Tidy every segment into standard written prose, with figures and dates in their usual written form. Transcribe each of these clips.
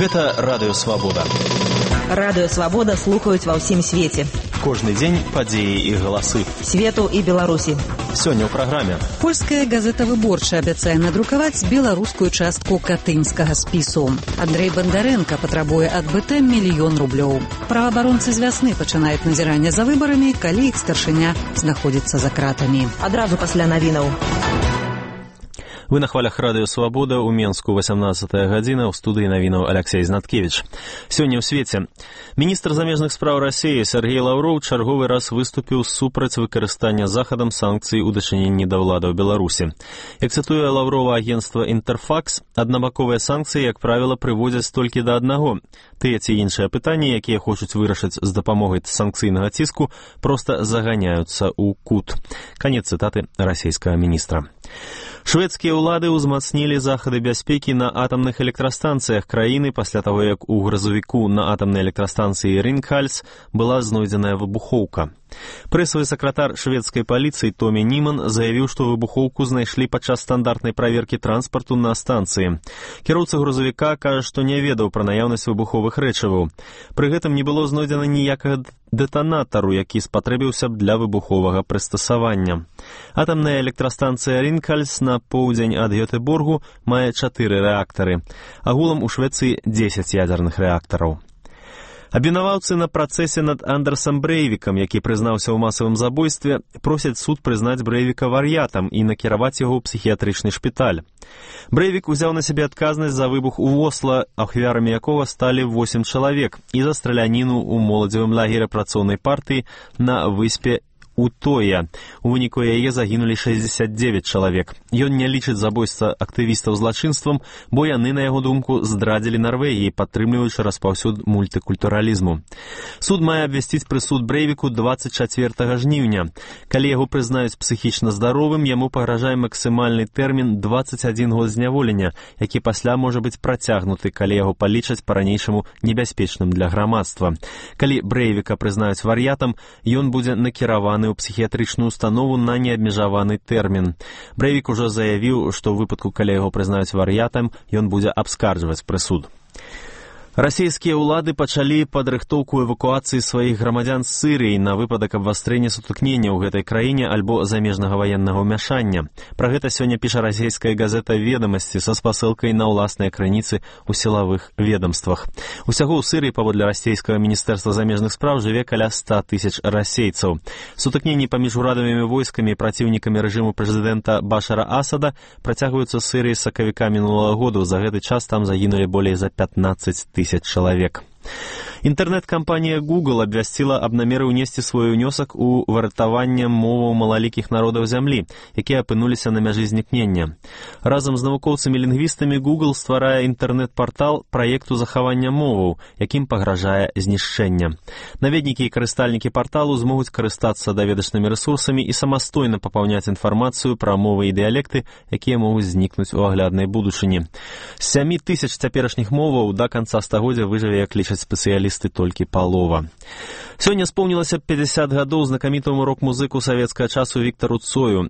Гэта Радыё Свабода. Радыё Свабода слухаюць ва ўсім свеце. Кожны дзень падзеі і галасы Свету і Беларусі. Сёння ў праграме. Польская газета «Выборча» абяцае надрукаваць беларускую частку катынскага спісу. Андрэй Бандарэнка патрабуе ад БТ $1 000 000. Праваабаронцы з вясны пачынаюць назіранне за выбарамі, калі іх старшыня знаходзіцца за кратамі. Адразу пасля навінаў. Вы на хвалях Радыё Свабода, у Менску 18 гадзіна, у студыі навінаў Алексей Знаткевич. Сёння ў свеце. Міністр замежных спраў Расіі Сергей Лаўроў чарговы раз выступіў супраць выкарыстання захадам санкцый у дачыненні да ўладаў Беларусі. Як цытуе Лаўрова агенцтва «Інтэрфакс», аднабаковыя санкцыі, як правіла, прыводзяць толькі да аднаго. Тыя ці іншыя пытанні, якія хочуць вырашыць з дапамогай санкцыйнага ціску, проста заганяюцца ў кут. Канец цытаты расійскага міністра. Шведскія ўлады ўзмацнілі захады бяспекі на атамных электрастанцыях краіны пасля таго, як у грузавіку на атамнай электрастанцыі Ринghals была знойдзеная выбухоўка. Прэсавы сакратар шведскай паліцыі Томі Німан заявіў, што выбухоўку знайшлі падчас стандартнай праверкі транспарту на станцыі. Кіроўца грузавіка кажа, што не ведаў пра наяўнасць выбуховых рэчываў. Пры гэтым не было знойдзена ніякага дэтанатару, які спатрэбіўся б для выбуховага прыстасавання. Атамная электрастанцыя Ринghals на поўдзень ад Гётэборгу мае 4 рэактары. Агулам у Швецыі 10 ядзерных рэактараў. Абвінаваўцы на працэсе над Андерсам Брэйвікам, які прызнаўся ў масавым забойстве, просяць суд прызнаць Брэйвіка вар'ятам і накіраваць яго ў псіхіятрычны шпіталь. Брэйвік узяў на сябе адказнасць за выбух у Осла, ахвярамі якога сталі 8 чалавек, і за страляніну ў моладзевым лагеры працоўнай партыі на выспе Утоя. У выніку яе загінулі 69 чалавек. Ён не лічыць забойства актывістаў злачынствам, бо яны, на яго думку, здрадзілі Нарвегіі, падтрымліваючы распаўсюд мультыкультуралізму. Суд мае абвясціць прысуд Брэйвіку 24 жніўня. Калі яго прызнаюць псіхічна здаровым, яму пагражае максімальны тэрмін 21 год зняволення, які пасля можа быць працягнуты, калі яго палічаць па-ранейшаму небяспечным для грамадства. Калі Брэйвіка прызнаюць вар'ятам, ён будзе накіраваны ў псіхіятрычную установу на неабмежаваны тэрмін. Брэйвік ужо заявіў, што ў выпадку, калі яго прызнаюць вар'ятам, ён будзе абскарджваць прысуд. Расійскія ўлады пачалі падрыхтоўку эвакуацыі сваіх грамадзян з Сырыі на выпадак абвастрэння сутыкнення ў гэтай краіне альбо замежнага ваеннага ўмяшання. Пра гэта сёння піша расійская газета «Ведамасці» са спасылкай на ўласныя крыніцы ў сілавых ведамствах. Усяго ў Сырыі, паводле расійскага міністэрства замежных спраў, жыве каля 100 000 расейцаў. Сутыкненні паміж урадавымі войскамі і праціўнікамі рэжыму прэзідэнта Башара Асада працягваюцца ў Сырыі з сакавіка мінулага году. За гэты час там загінулі болей за 15 000 человек. Інтэрнэт-кампанія Google абвясціла аб намеры ўнесці свой унёсак у выратаванне моваў малалікіх народаў зямлі, якія апынуліся на мяжы знікнення. Разам з навукоўцамі-лінгвістамі Google стварае інтэрнэт-партал праекту захавання моваў, якім пагражае знішчэнне. Наведнікі і карыстальнікі парталу змогуць карыстацца даведачнымі рэсурсамі і самастойна папаўняць інфармацыю пра мовы і дыялекты, якія могуць знікнуць у агляднай будучыні. З 7 000 цяперашніх моваў да канца стагоддзя выжыве, як лічаць спецыялісты, толькі палова. Сёння споўнілася 50 гадоў знакамітаму рок-музыку савецкага часу Віктару Цою,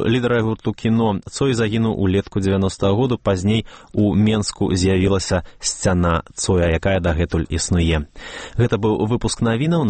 лідара гурту «Кіно». Цой загінуў улетку 90-го году, пазней у Менску з'явілася сцяна Цоя, якая дагэтуль існуе. Гэта быў выпуск навінаў.